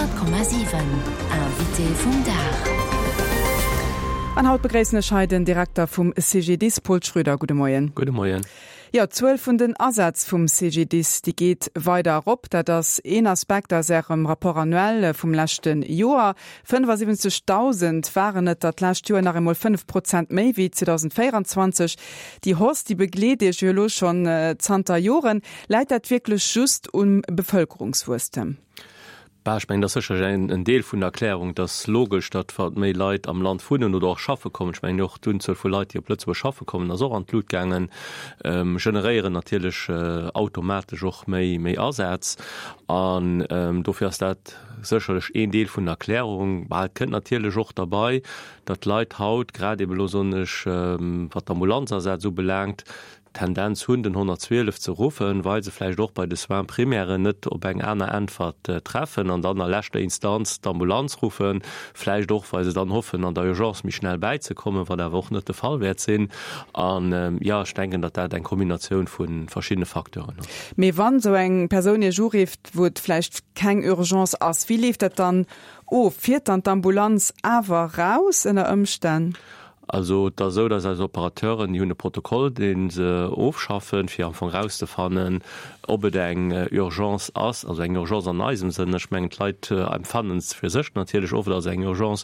100,7 Invité vum Dag. An haut begréissen ech hei den Direkter vum CGDIS, Paul Schröder. Gudde Moien. Gudde Moien. Jo, d'Zuel vun den Asätz vum CGDIS, déi geet weider erop. Dat ass een Aspekt aus Ärem Rapport annuel vum leschte Joer. 75.000 waren et der d'lescht Joer, nach eemol 5 Prozent méi wéi 2024. Déi Hausse, déi begleet Iech jo elo schonn zanter Joren. Läit dat wierklech just um Bevëlkerungswuesstem? Bah, ech mengen, dat ass sécherlech en Deel vun der Erklärung. Et ass logesch, datt wa méi Leit am Land wunnen oder och schaffe kommen, ech mengen och d'Unzuel vu Leit, déi op Lëtzebuerg schaffe kommen, ass och an d'Lut gaangen, generéieren natierlech automatesch och méi méi Asätz. An dofir ass dat sécherlech een Deel vun der Erklärung. Bah, et kënnt natierlech och derbei, datt d'Leit haut, grad ebe lo soen ech, wat d'Ambulanzasätz ubelaangt, d'Tendenz hunn, den 112 ze ruffen, well se vläicht och bei de Soins primairen net op eng aner Äntwert treffen an dann a leschter Instanz d'Ambulanz ruffen, vläicht och, well se dann hoffen, an der Urgence méi schnell bäizekommen, wat awer och net de Fall wäert sinn. An, jo, ech denken, datt dat eng Kombinatioun vu verschiddene Facteuren ass. Mee wann esou eng Persoun Iech urifft, wou et vläicht keng Urgence ass, wéi leeft dat dann of? Fiert dann d'Ambulanz awer raus ënner Ëmstänn? Also et ass esou, dass eis Operateuren, déi hunn e Protokoll, dee se ofschaffen, fir am Fong erauszefannen, ob et eng Urgence ass, also eng Urgence an eisem Sënn. Ech mengen, d'Leit empfannen es fir sech natierlech oft als eng Urgence,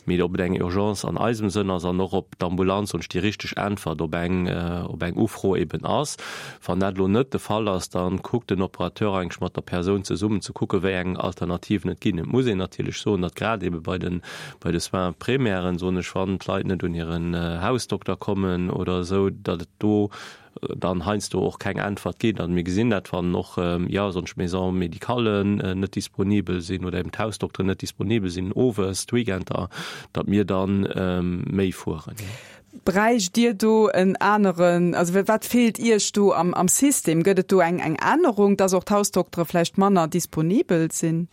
mee ob et eng Urgence an eisem Sënn ass an och ob d'Ambulanz ons déi richteg Äntwert op eng, op eng Ufro eben ass. Wann dat elo net de Fall ass, da kuckt den Operateur eigentlech mat der Persoun zesummen ze kucken, wéi eng Alternativen et ginn. Et muss een natierlech soen, datt grad ebe bei den Bei de Soins primairen, soen ech, wann d'Leit net un hiren Hausdokter kommen oder esou, datt et do dann heiansdo och keng Äntwert gétt. Also mir gesinn dat, wann och, jo, sonst Maisons médicales net disponibel sinn oder eben d'Hausdokteren net disponibel sinn owes, d'Weekender, datt mir dann méi fueren. Bräicht Dir do en aneren, also wat feelt Iech do am System? Gëtt et do eng Ännerung, dass och d'Hausdoktere vläicht manner disponibel sinn?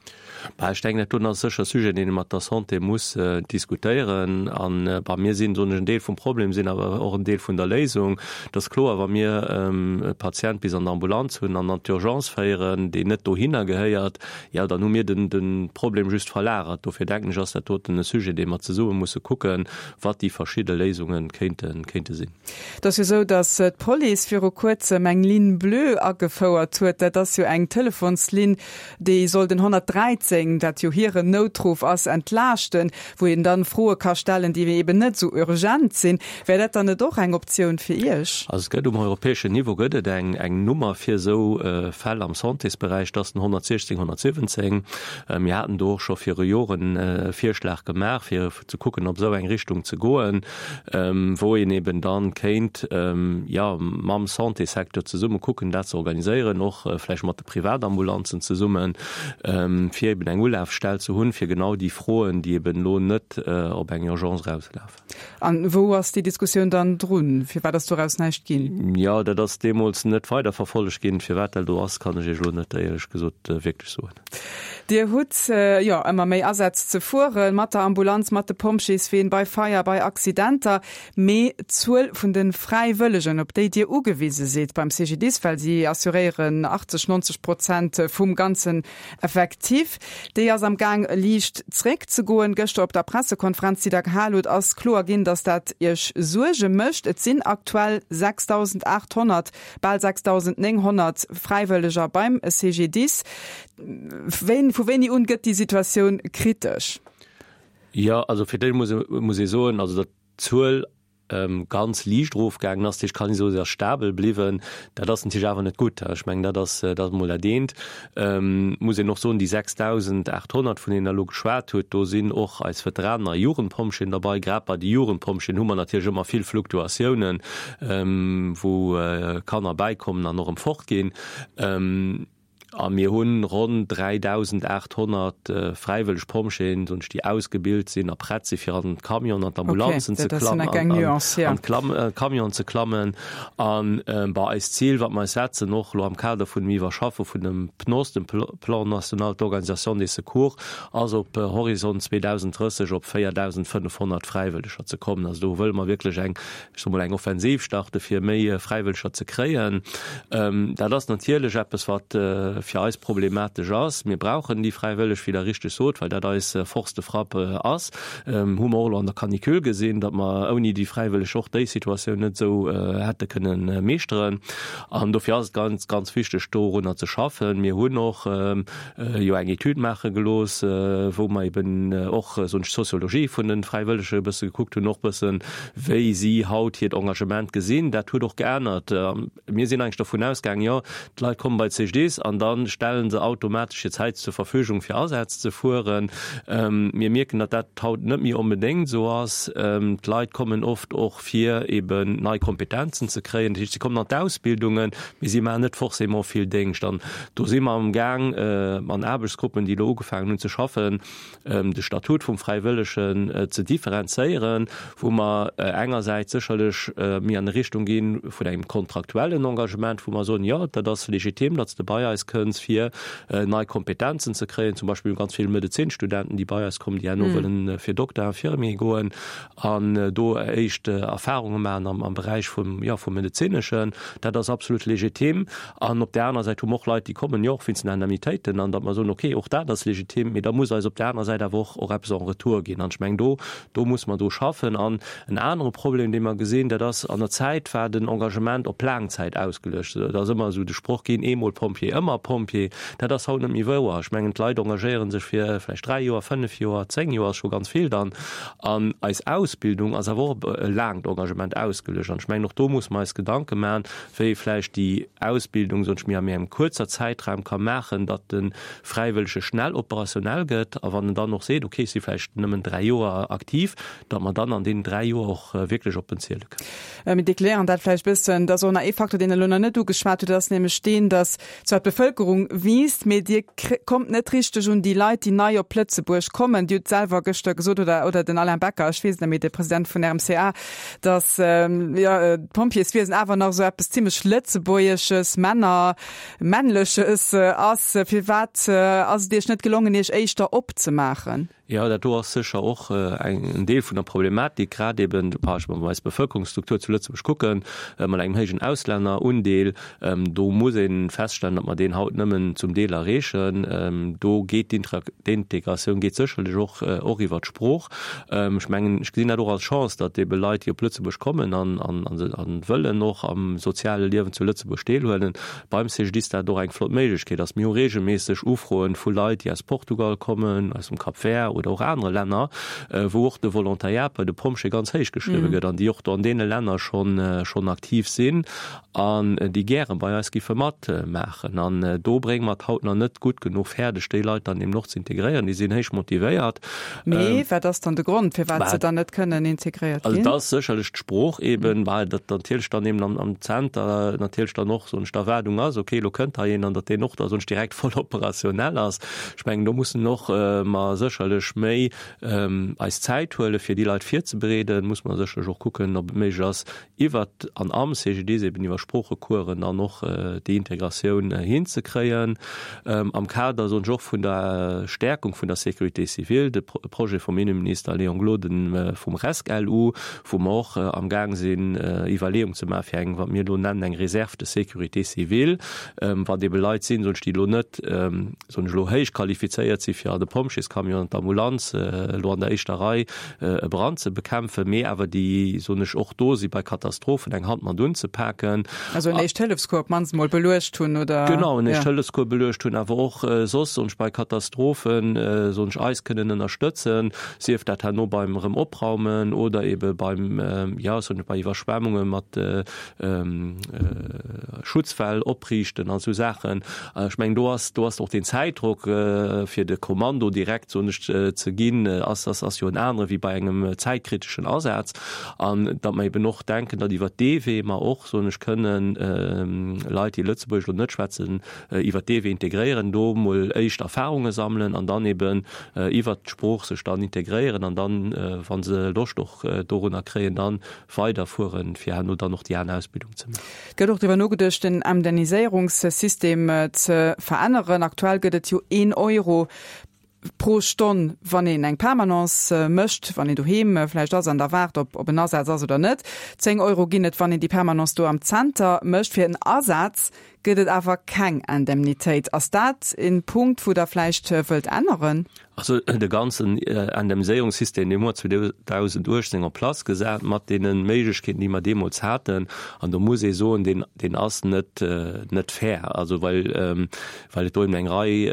Bah, ech denken, dat doen ass sécher e Sujet, deen ee mat der Santé muss diskutéieren. An, bah, mir sinn, soen ech, en Deel vum Problem, sinn awer och en Deel vun der Léisung. Et ass kloer, wa mir e Patient bis an d'Ambulanz hunn an an d'Urgence féieren, deen net dohinner gehéiert, jo, dann hu mir de Problem just verlagert. Dofir denken ech, ass dat doten e Sujet, dee mer zesumme musse kucken, wat déi verschidde Léisunge kéinte sinn. Et ass jo esou, datt d'Police viru kuerzem eng Ligne bleue agefouert huet. Dat ass jo eng Telefonslinn, déi soll den 113, dat jo hiren Noutruff ass, entlaaschten, wou een dann Froe ka stellen, déi eben net esou urgent sinn. Wär dat dann net och eng Optioun fir Iech? Also et gëtt um europäeschen Niveau gëtt et eng eng Nummer fir esou Fäll am Santésberäich, dat ass den 116 117. Mir haten do och scho viru Joren e Virschlag gemaach, fir ze kucken op esou eng Richtung ze goen, wou een eben dann kéint, jo, mam Santésecteur zesumme kucken, dat ze organiséieren, och vläicht mat de Privatambulanzen zesummen, fir eben eng Ulafstell ze hunn, fir genau déi Froen, déi eben elo net op eng Urgence erauslafen. An wou ass déi Diskussioun dann drun? Firwat ass doraus näischt ginn? Jo, dat ass deemools net weiderverfollegt ginn. Firwat dat elo ass, kann ech Iech elo net éierlech gesot wierklech soen. Dir hutt jo ëmmer méi Asätz ze fuere mat der Ambulanz, mat de Pompjeesween, bei Feier, bei Accidenter. Mee d'Zuel vun de Fräiwëllegen, op déi Dir ugewise sidd beim CGDIS, well si assuréieren 80, 90 Prozent vum ganzen Effectif, déi ass am Gaang liicht zréckzegoen. Gëschter op der Pressekonferenz, déi Der gehal hutt, ass kloer ginn, datt dat Iech Suerge mécht. Et sinn aktuell 6.800 Bal 6.900 Fräiwëlleger beim CGDIS. Wéini, vu wéini un gëtt déi Situatioun kritesch? Jo, also fir d'éischt muss, muss ee soen, also datt d'Zuel ganz liicht erofgaangen ass, dat heescht, kann ee soen, se ass stabel bliwwen. Dat ass natierlech awer net gutt. Ech mengen, dat ass, dat ass emol dat eent. Muss een och soen, déi 6.800, vun deenen Der elo geschwat hutt, do sinn och eis Veteranen a Jugendpompjeeën derbei. Grad bei de Jugendpompjeeën hu mer natierlech ëmmer vill Fluktuatiounen, wou Kanner bäikommen an och erëm fortginn. A mir hu ronn 3.800 fräiwëlleg Pompjeeën, soen ech, déi ausgebilt sinn a prett si fir an d'Camionen an d'Ambulanzen ze klammen, an d'Camionen ze klammen. An bei eist Zil, wat mer eis setzen, och elo am Kader vun dem Iwwerschaffe vun dem PNOS, dem Plan national d'organisation des secours, ass op Horizont 2030 op 4.500 Fräiwëlleger ze kommen. Also do wëlle mer wierklech eng, ech soe mol, eng Offensiv starte fir méi Fräiwëlleger ze kréien. Dat ass natierlech eppes, wat. fir eis problematesch ass. Mir brauchen déi Fräiwëlleg, wéi Der richteg sot, well dat eis Force de frappe ass. Hu mer och elo an der Canicule gesinn, datt mer ouni déi Fräiwëlleg och déi Situatioun net esou hätte kënnen meeschteren. An dofir ass et ganz, ganz wichteg, dorunner ze schaffen. Mir hunn och jo eng Etüd maache gelooss, wou mer eben och, soen ech, d'Soziologie vun de Fräiwëllege e bësse gekuckt hunn, och bëssen, wéi si haut hiert Engagement gesinn. Dat huet och geännert. Mir sinn eigentlech dovun ausgaangen, jo, d'Leit komme bei d'CGDIS an da stelle se automatesch hir Zäit zur Verfügung, fir Asätz ze fueren. Mir mierken, datt dat haut net méi onbedéngt esou ass. D'Leit kommen oft och, fir eben nei Kompetenzen ze kréien. Dat heescht, si kommen an d'Ausbildungen, mee si maachen net forcément vill Déngscht. An do si mer amgaang, an Aarbechtsgruppen, déi elo ugefaangen hunn ze schaffen, de Statut vum Fräiwëllegen ze differenzéieren, wou mer engersäits sécherlech méi an Richtung gi vun engem kontraktuellen Engagement, wou mer soen, jo, dat ass legitim, datt s de bei eis kënns, fir nei Kompetenzen ze kréien. Zum Beispill ganz vill Medezinstudenten, déi bei eis kommen, déi herno wëllen fir Dokter, Infirmier goen an do éischt Erfahrunge maachen am Beräich vum, jo, vum Medezineschen. Dat ass absolut legitim. An op där anerer Säit hu mer och Leit, déi kommen, jo, och wéinst den Indemnitéiten, an datt mer soen, okay, och dat ass legitim, mee da muss eis op där anerer Säit awer och och eppes en retour ginn. An ech mengen, do, do muss mer dru schaffen. An en anere Problem, dee mer gesinn, dat ass, an der Zäit war den Engagement op laang Zäit ausgeluecht. Et ass ëmmer esou de Sproch ginn, eemol Pompjee, ëmmer Pompjee. Dat ass haut net méi wouer. Ech mengen, d'Leit engagéiere sech fir vläicht dräi Joer, fënnef Joer, zéng Joer ass scho ganz vill dann. An eis Ausbildung ass awer och op e laangt Engagement ausgeluecht. An ech mengen, och do muss mer eis Gedanke maachen, wéi ee vläicht déi Ausbildung, soen ech mir, a méi engem kuerzer Zäitraum ka maachen, datt de Fräiwëllege schnell operationell gëtt. A wann en dann och seet, okay, ech si vläicht nëmmen dräi Joer aktiv, datt mer dann an deenen dräi Joer och wierklech op en ziele kënnen. Mir deklären dat vläicht e bëssen. Et ass och nach ee Faktor, deen Der elo nach net ugeschwat hutt, dat ass nämlech deen, datt zwar d'Bevëlkerung wiisst, mee Dir kommt net richteg un déi Leit, déi nei op Lëtzebuerg kommen. Dir hutt selwer gëschter gesot, oder, oder den Alain Becker, ech weess et net méi, de President vun RMCA, datt jo d'Pompjeeswiesen awer nach esou eppes zimlech Lëtzebuergesches, Männer, Männleches ass. Firwat ass et Iech net gelongen, Iech éischter opzemaachen? Jo, dat do ass sécher och en Deel vun der Problematik, grad eben, wa mer eis Bevëlkerungsstruktur zu Lëtzebuerg kucken, mat engem héijen Auslännerundeel. Do muss ee feststellen, datt mer deen haut nëmmen zum Deel erreechen. Do geet d'Integratioun geet sécherlech och och iwwer d'Sprooch. Ech mengen, ech gesinn dat och als Chance, datt ebe Leit, déi op Lëtzebuerg kommen an an wëllen och am soziale Liewen zu Lëtzebuerg deelhuelen, beim CGDIS dat och eng flott Méiglechkeet ass. Mir hu reegelméisseg Ufroen vu Leit, déi aus Portugal kommen, aus dem Cap Vert oder och anere Länner, wou och de Volontariat bei de Pompjeeë ganz héich geschriwwe gëtt an déi och do an deene Länner schonn aktiv sinn. An déi gäre bei eis giffe matmaachen. An do brénge mer et haut nach net gutt genuch fäerdeg, déi Leit dann eben och ze integréieren. Déi sinn héich motivéiert. Mee wat ass dann de Grond, firwat se dann net kënnen integréiert ginn? Also dat ass sécherlech d'Sprooch eben, well dat natierlech dann eben am Zenter natierlech dann och, soen ech, d'Erwaardung ass, okay, elo kënnt hei een, an datt deen och da, soen ech, direkt voll operationell ass. Ech mengen, do mussen och mer sécherlech méi eis Zäit huelen, fir déi Leit virzebereeden. Muss mer sécherlech och kucken, ob et méiglech ass, iwwert an am CGDIS eben iwwer Sproochecoursen dann och déi Integratioun hinzekréien. Am Kader, soen ech, och vun der Stärkung vun der Sécurité civile, de Projet vum Innenminister Léon Gloden vum RESC-LU, wou mer och amgaang sinn Iwwerleeung ze maachen, fir eng, wat mir elo nennen, eng Réserve de sécurité civile, wat ebe Leit sinn, soen ech, déi elo net, soen ech elo, héich qualifizéiert si fir an de Pompjeescamion an d'Ambulanz elo an der éischter Rei e Brand ze bekämpfen, mee awer déi, soen ech, och do si bei Katastrophen eng Hand mat unzepaken. Also en Éischt-Hëllefscours op d'mannst emol beluecht hunn, oder? Genau, en Éischt-Hëllefscours beluecht hunn, awer och soss, soen ech, bei Katastrophen, soen ech, eis kënnen ënnerstëtzen, sief dat herno beim erëm Opraumen oder ebe beim, jo, soen ech, bei Iwwerschwemmunge mat Schutzwäll opriichten an esou Saachen. Ech mengen, do ass, do ass och den Zäitdrock, fir de Kommando direkt, soen ech, ze ginn, ass, ass, ass jo en anere wéi bei engem zäitkriteschen Asaz. An datt mer eben och denken, datt iwwert dee Wee mer och, soen ech, kënnen Leit, déi Lëtzebuergesch elo net schwätzen, iwwert dee Wee integréieren, do emol éischt Erfahrunge sammelen an dann eben iwwert d'Sprooch sech dann integréieren an dann, wa se Loscht och dorunner kréien, dann weiderfueren, fir herno dann och déi aner Ausbildung ze maachen. Et gëtt och driwwer nogeduecht, den Indemniséierungssystem ze veränneren. Aktuell gëtt et jo een Euro pro Stonn, wann een eng Permanence mécht, wann een doheem vläicht ass an da waart, ob ob en Asaz ass oder net. 10 Euro ginn et, wann een déi Permanence do am Zenter mécht. Fir en Asaz. gëtt et awer keng Indemnitéit. Ass dat en Punkt, wou Der vläicht wëllt änneren? Also de ganzen Indemniséierungssystem, dee hu mer 2018 en place gesat mat deene Méiglechkeeten, déi mer deemools haten. An do muss ee soen, deen, deen ass net, net fair. Also well, well et do eben eng Rei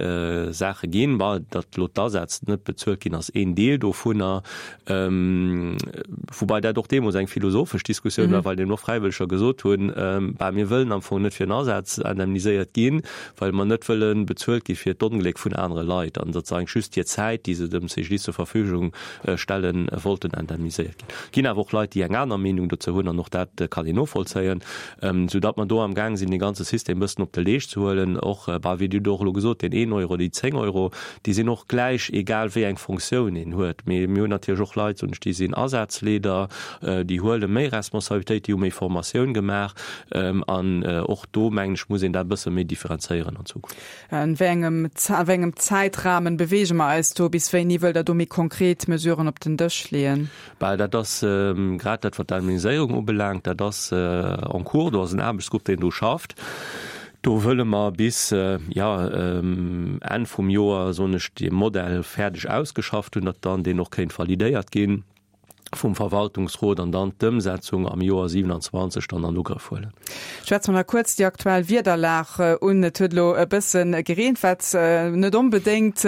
Saache ginn. Bon, datt elo d'Asätz net bezuelt ginn, ass een Deel dovunner. Woubai dat och deemools eng philosophesch Diskussioun war, well eben och Fräiwëlleger gesot hunn, Bah, mir wëllen am Fong net fir en Asaz indemniséiert ginn, well mer net wëlle bezuelt gi fir d'Ongléck vun anere Leit, an datt se eigentlech just hir Zäit, déi se dem CGDIS zur Verfügung stellen, wollten indemniséiert ginn. Et ginn awer och Leit, déi eng aner Meenung dozou hunn, an och dat kann een novollzéien, soudatt mer do amgaang sinn, dee ganze System e bëssen op de Leescht ze huelen. Och, bah, wéi Dir och elo gesot, deen een Euro, déi 10 Euro, Déi sinn och gläich, egal wéi eng Fonctioun een huet. Mee mir hunn natierlech och Leit, soen ech, déi sinn Asazleeder, déi huele méi Responsabilitéit, déi hu méi Formatioun gemaach. An och do, mengen ech, muss een dat e bësse méi differenzéieren an Zukunft. An wéi engem, a wéi engem Zäitrahmen beweege mer eis do? Bis wéini wëllt Der do méi konkret Mesuren op den Dësch leeën? Bah, dat ass grad dat, wat d'Indemniséierung ubelaangt, dat ass en cours. Do ass en Aarbechtsgrupp, deen do schafft. Do wëlle mer bis, jo, Enn vum Joer, soen ech, dee Modell fäerdeg ausgeschafft hunn, datt dann deen och kéint validéiert gi vum Verwaltungsrot an dann d'Ëmsetzung am Joer 27 dann an Ugrëff huelen. Schwätze mer nach kuerz déi aktuell Wiederlag un. Et huet elo e bësse gereent, wat net onbedéngt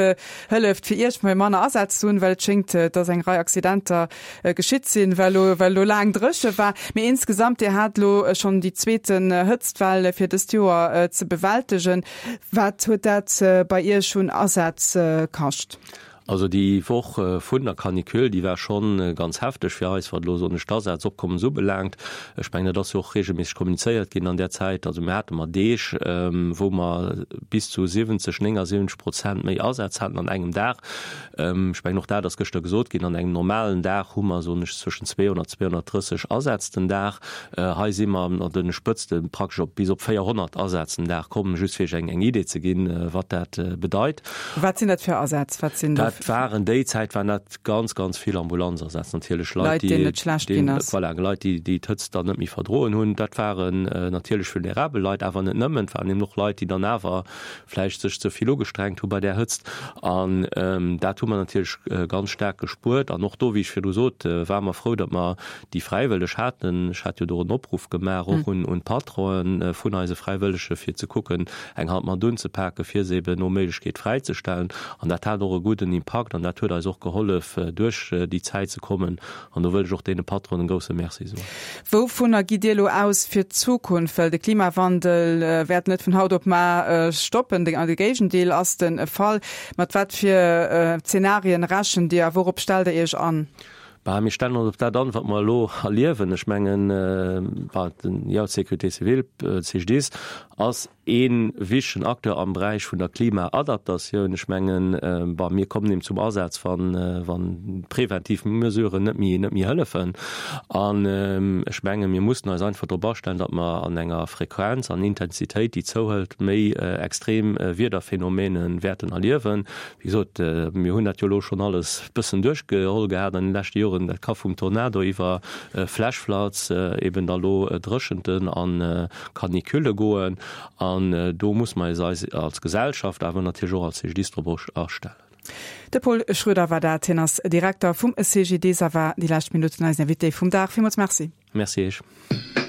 hëlleft fir Iech méi manner Asätz ze hunn, well et schéngt, dass eng Rei Accidenter geschitt sinn, well elo well elo laang dréche war. Mee insgesamt, Dir hat elo schonn déi zweeten Hëtztwell fir dëst Joer ze bewältegen. Wat huet dat bei Iech un Asätz kascht? Also déi Woch vun der Canicule, déi war schonn ganz hefteg fir eis, wat elo soen ech d'Asazopkommes ubelaangt. Ech mengen, dat ass jo och regelméisseg kommunizéiert ginn an där Zäit. Also mir hate mer Deeg, wou mer bis zu 70, 79 Prozent méi Asätz haten an engem Dag. Ech mengen, och dat ass gëschter gesot ginn, an engem normalen Dag hu mer, soen ech, zwëschen 200, 230 Asätz den Dag. Hei si mer an de Spëtzte praktesch op bis op 400 Asätz den Dag komm, just fir Iech eng eng Idee ze ginn, wat dat bedeit. Wat sinn dat fir Asätz? Wat sinn dat? Dat waren déi Zäit waren dat ganz, ganz vill Ambulanzasätz natierlech, Leit, déi, deenen et schlecht ginn ass. Voilà, Leit, déi déi d'Hëtzt dann net méi verdroen hunn. Dat waren natierlech vulnerabel Leit, awer net nëmmen. Et waren eben och Leit, déi dann awer vläicht sech ze vill ugestrengt hu bei där Hëtzt. An dat hu mer natierlech ganz staark gespuert. An och do, wéi ech virdru sot, ware mer frou, datt mer déi Fräiwëlleg haten. Ech hat jo do en Opruff gemaach och un d'Patronen vun eise Fräiwëllege fir ze kucken, eng Hand mat unzepaken, fir se eben no Méiglechkeet fräizestellen. An dat hat och e gudden Impakt an dat huet eis och gehollef, duerch déi Zäit ze kommen. An do wëll ech och deene Patronen e grousse Merci soen. Wouvunner gitt Dir elo aus fir d'Zukunft? Well de Klimawandel wäert net vun haut op mar stoppen, de Géigendeel ass de Fall. Mat wat fir Zenarien rechent Dir a wourop stellt Der Iech an? Bah, mir stellen ons op dat an, wat mer elo erliewen. Ech mengen, bah, den, jo, d'Sécurité civile, d'CGDIS ass ee wichtegen Acteur am Beräich vun der Klimaadaptatioun. Ech mengen, bah, mir kommen eben zum Asaz, wann, wann präventiv Mesuren net méi, net méi hëllefen. An ech mengen, mir mussen eis einfach drop astellen, datt mer an enger Frequenz an Intensitéit, déi zouhëlt, méi extrem Wiederphänomene wäerten erliewen. Wéi gesot, mir hunn dat jo elo schonn alles e bëssen duerchgeholl gehat an de leschte Joren. Dat ka vum Tornado iwwer Flashfloods, eben da lo Dréchenten a Canicule goen. An do muss mer eis eis als Gesellschaft, awer natierlech och als CGDIS drop astellen. De Paul Schroeder war dat. Hien ass Direkter vum CGDIS a war déi lescht Minutten eisen Invité vum Dag. Villmools Merci. Merci Iech.